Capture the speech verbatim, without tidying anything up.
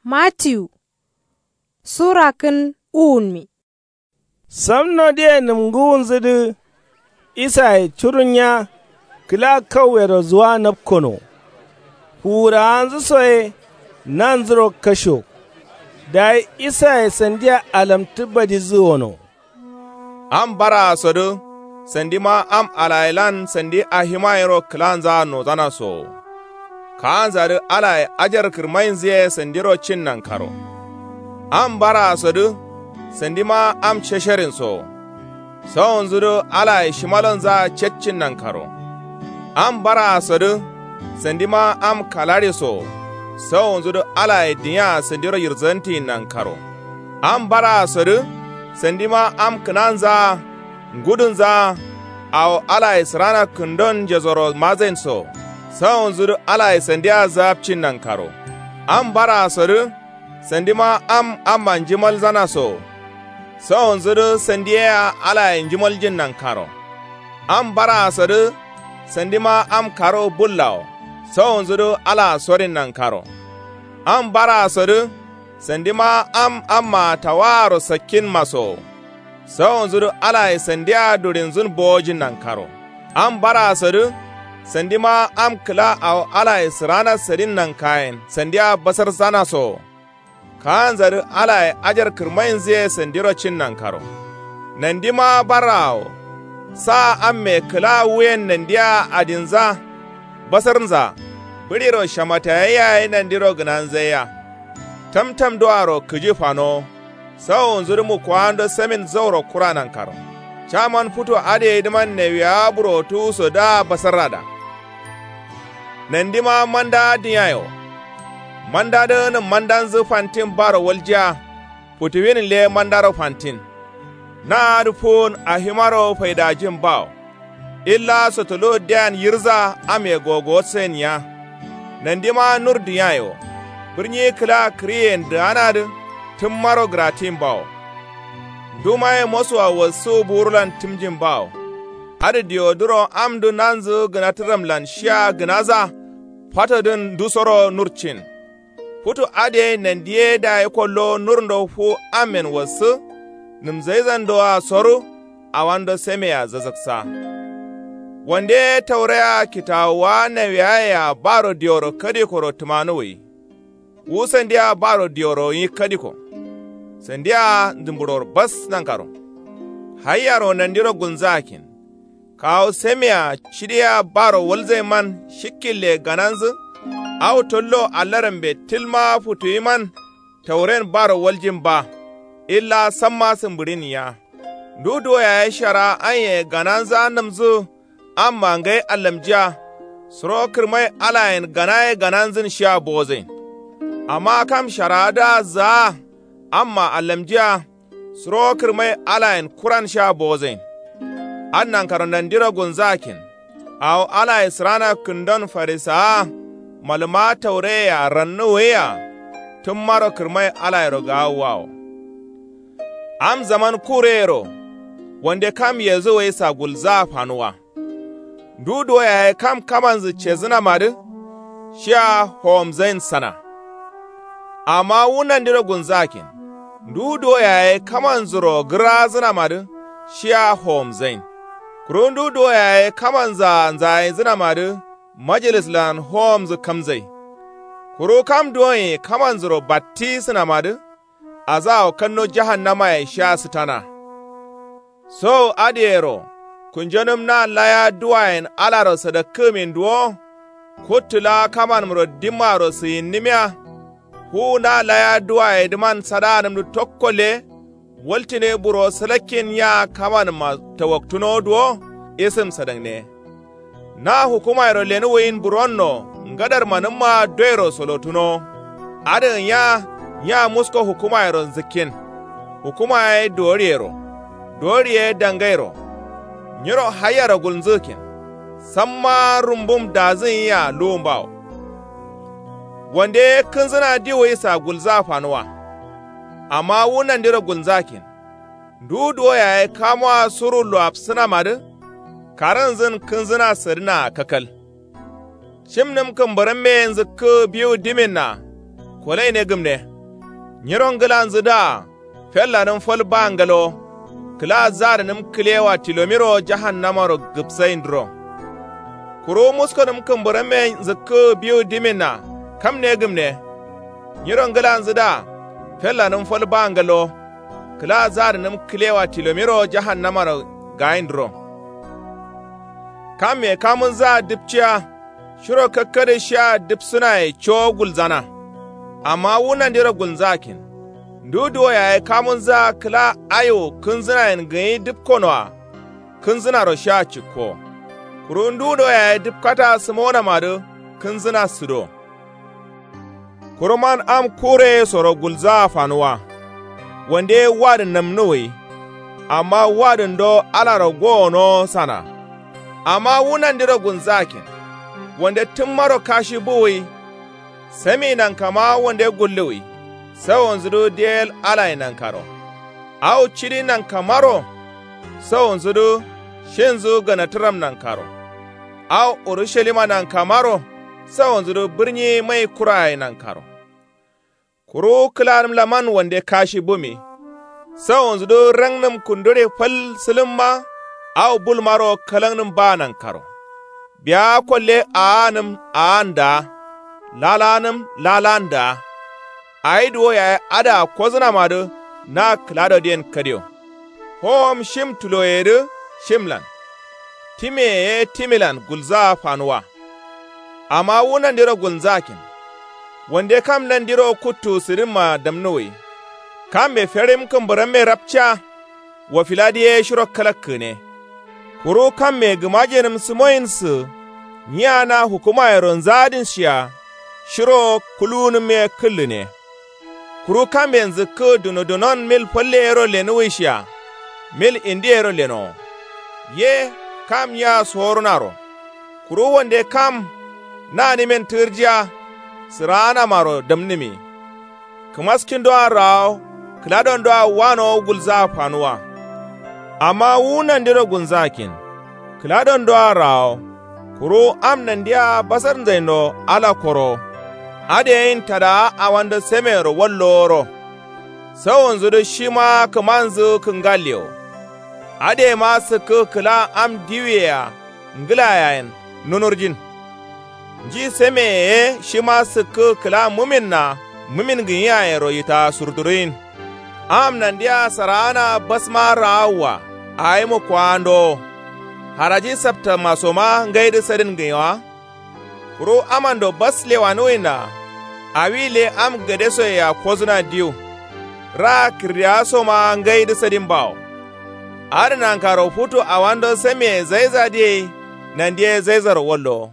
Matiyu sura kǝn uwunmi. Samno diye nǝmgǝwunzǝdǝ, isaye curunya kǝla kauyero zuwa napkono. Fuwurawanzǝ soye nanzuro kasho. Dayi isaye sandiya alamtǝ badizǝ wono. Am baraa sodǝ sandima am alayelan sandi ahima yero kǝlanzaa nozana sowo. Kaanzadǝ alaye ajar kǝrmainzǝ ye sandiro cin nankaro. Am baraa sodǝ sandima am cesherin sowo. Sawonzudǝ alaye shimalonzaa ceccin nankaro. Am baraa sodǝ sandima am kalaɍe sowo. Sawonzudǝ alaye dinya sandiro yirzantiyin nankaro. Am baraa sodǝ sandima am kǝnanzaa ngudunzaa awo alaye sǝrana kǝndon njesoro mazain so. Sawonzudǝ alaye sandiya zaapcin nankaro. Am baraa sodǝ sandima am amma njimalzana so. Sawonzudǝ sandi yea alaye njimaljin nankaro. Am baraa sodǝ sandima am karo bullawo. Sawonzudǝ alaa sorin nankaro. Am baraa sodǝ sandima am amma tawaaro sakkinma sowo. Sawonzudǝ alaye sandiya duɍinzun bowojin nankaro. Am baraa sodǝ sandima am kǝla awo alaye sǝrana sadin nankayen sandiya basarsana sowo. Kaanzadǝ alaye ajar kǝrmainzǝ ye sandiro cin nankaro. Nandima barraawo. Sa amme kǝla wuyen nandiya adinza basarnza. Bǝɍiro shamatayayya ye nandiro gǝnanzaiya. Tamtamdoaro kǝji fanowo. Sawowonzudǝ mukowando samin zauro kura nankaro. Caman futu adǝ yedǝman nawiyawa burotuwu so dǝa basarrada. Nandima mandawa dinya ye wo. Mandadǝ nǝm mandanzǝ fantin baro waljiya. Futuwin le mandaro fantin. Na adǝ fuwun ahimaro faidajin bawo. Illa sotolo diyan yirza ame gogowosain niya. Nandima nur dinya ye wo. Bǝrnyi kǝla kǝriyen dǝanadǝ tǝmmaro gǝratin bawo. Ndumaye mosuwa wassu buwurulan tǝmjin bawo. Adǝ diwoduro amdǝ nanzǝ gǝnatǝramlan shiya gǝnaza. Fatodǝn ndusoro nurcin. Futu adǝ ye nandi ye dayi kollo nurndo fu ammen wassǝ. Nǝmzaizandoa soru. Awando samea zazǝksa. Wande tauraya kitawuwa nawiyayea baro diworo kadikoro tǝmanuwwi. Wu sandia baro diworo nyi kadiko. Sandia nzǝmbǝɍoro bas nankaro. Haiyaro nandiro gulnzǝ akkin. Kawu samea cidiya baro walzain man shikkille gananzǝ. Awo tollo allarambe tǝlma futuwi man. Tauren baro waljin ba. Illa samma sǝmbǝɍin niya. Ndu duwo yaye shara anye gananzǝ annǝmzǝ. Amma ngai allamjiya. Suro kǝrmai alayen ganaye gananzǝn shiya bozain. Amma kam sharadǝa zǝa. Amma allamjiya. Suro kǝrmai alayen kuran sha bozain. Adǝ nankaro nandiro gulnzǝ akkin. Awo alaye sǝrana kǝndon farisawa. Malǝma taureyea rannuwuwia. Tǝmmaro kǝrmai alayero gaawuwawo. Am zaman kureyero. Wande kam yezǝ wai sagulzǝa fanuwa. Ndu duwo yaye kam kamanzǝ cezǝnamadǝ. Shiya howomzain sana. Amma wu nandiro gulnzǝ akkin. Ndu duwo yaye kamanzǝro gǝrazǝnamadǝ. Shiya howomzain. Kuru ndu duwo yaye kamanzǝa nzayinzǝnamadǝ. Majilislan howomzǝ kamzai. Kuru kam duwonye kamanzǝro battisǝnamadǝ. Azawo kanno jahannamaye sha sǝtana. Sowu adǝyero. Kunjonǝm na laya duwayen alaro sadakkǝgǝmin duwo. Kuttǝ la kamanǝmro dimmaro sǝyinnǝmiya. Fuwu na laya duwayedǝman sadaanǝmdǝ tokko le. Waltǝne buro sǝlakkin nya kamanǝmma tawaktunowo duwo. Isǝm sadakne. Na hukumayero lenuwuyin buronno ngadarmanǝmma doyero solotunowo. Adǝgǝn ya nya musko hukumayero nzǝkkin. Hukuma ye duwoɍiyero. Duwoɍi ye dangairo. Nyiro haiyaro gulnzǝgǝkkin. Samma rumbum dazǝgǝnyia luwumbawo. Wande ye kǝnzǝna diwuwi sagulzǝa fanuwa. Amma wu nandiro gulnzǝakkin. Ndu duwo yaye kamowa suru luwafsǝnamadǝ. Karǝnzǝn kǝnzǝna sǝdǝnaa kakal. Cimnǝm kǝmbǝrǝmme nzǝkkǝ biwu diminna. Kolaine gǝmne. Nyiro ngǝlanzǝdǝa fellanǝm fal ba ngalo. Kǝla zadǝnǝm kǝlewa tilomiro jahannamaro gǝpsaindǝro. Kuru muskonǝm kǝmbǝramme nzǝkkǝ biwu diminna. Kamne gǝmne. Nyiro ngǝlanzǝdǝa fellanǝm fal ba ngalo. Kǝla zadǝnǝm kǝlewa tilomiro jahannamaro gaindǝro. Kamme kamunzǝa dǝpciya. Shiro kakkadǝ shiya dǝpsǝnaye cowo gulzana. Amma wu nandiro gulnzakin. Ndu duwo yaye kamunzǝa kǝla ayo kǝnzǝnayen gǝnyi dǝpkonoa. Kǝnzǝnaro shiya cikko. Kuru ndu do yaye dǝpkata sǝmonamadǝ. Kǝnzǝna sǝdo. Kuruman am kureye soro gulzaa fanuwa. Wande wadǝn namnuwǝyi. Amma wadǝn do alaro gowono sana. Amma wu nandiro gulzakin. Wande tǝmmaro kashi buwǝyi. Sami nankama wande gulluwǝyi. Sawonzǝdu diyel alaye nankaro. Awo cidi nankamaro. Sawonzǝdu shinzǝ ganatǝram nankaro. Awo urushalima nankamaro. Sawonzǝdu bǝrnyi mai kuraye nankaro. Kuru kǝlanǝm laman wande kashi bumi. Sawonzǝdu rangnǝm kundure fal sǝlǝmma. Awo bulmaro kalangnǝm ba nankaro. Biya kolle aa'anǝm aa'an daa. Lalanǝm lalan daa. Ayi duwo yaye adǝa kozǝnamadǝ. Na kǝladodiyen kadio. Howom shim tuloyedǝ shimlan. Timeye ye timilan gulzaa fanuwa. Amma wu nandiro gulnzakin. Wande kam nandiro kuttu sǝdinma damnuwǝyi. Kamme ferim kǝmbǝramme rapca. Wofiladi ye shiro kalakkǝne. Kuru kamme gǝmajenǝm sǝmoyinsǝ. Nyiya na hukumayero nzadinshiya. Shiro kuluwunǝm ye kǝllǝne. Kuru kamben zǝkkǝ dunodunon mil falle yero lenuwishiya. Mil indi yero lenowo. Ye kam nyiya sorunaro. Kuru wande kam nanǝmen tǝgǝrjiya. Sǝraanamaro damnǝmi. Kǝmaskindoa rawo. Kǝladondoa wanowo gulzaa fanuwa. Amma wu nandiro gulnzakin. Kǝladondoa rawo. Kuru am nandiya basarnzaino ala koro. Adǝ yeyin tadawa awando sameyero walloworo. Sawonzudǝ shima kǝmanzǝ kǝngallewo. Adǝyema sǝkkǝ kǝla am diwuyea ngǝlayayen nunurjin. Nji sameye ye shima sǝkkǝ kǝla muminna mumin gǝnyiyayero yitaa surduriyin. Am nandiya saraana basma raawwa. Ayi mukkowandowo. Haraji saptamasoma ngaidǝ sadin gǝnyi wa. Kuru amando bas lewanuwinna. Awi le am gadesoyea kozǝna diwu. Raa kǝrdiyasoma ngaidǝ sadin bawo. Adǝ nankaro futu awando samiye zaizadǝ ye. Nandiye zaizaro wallowo.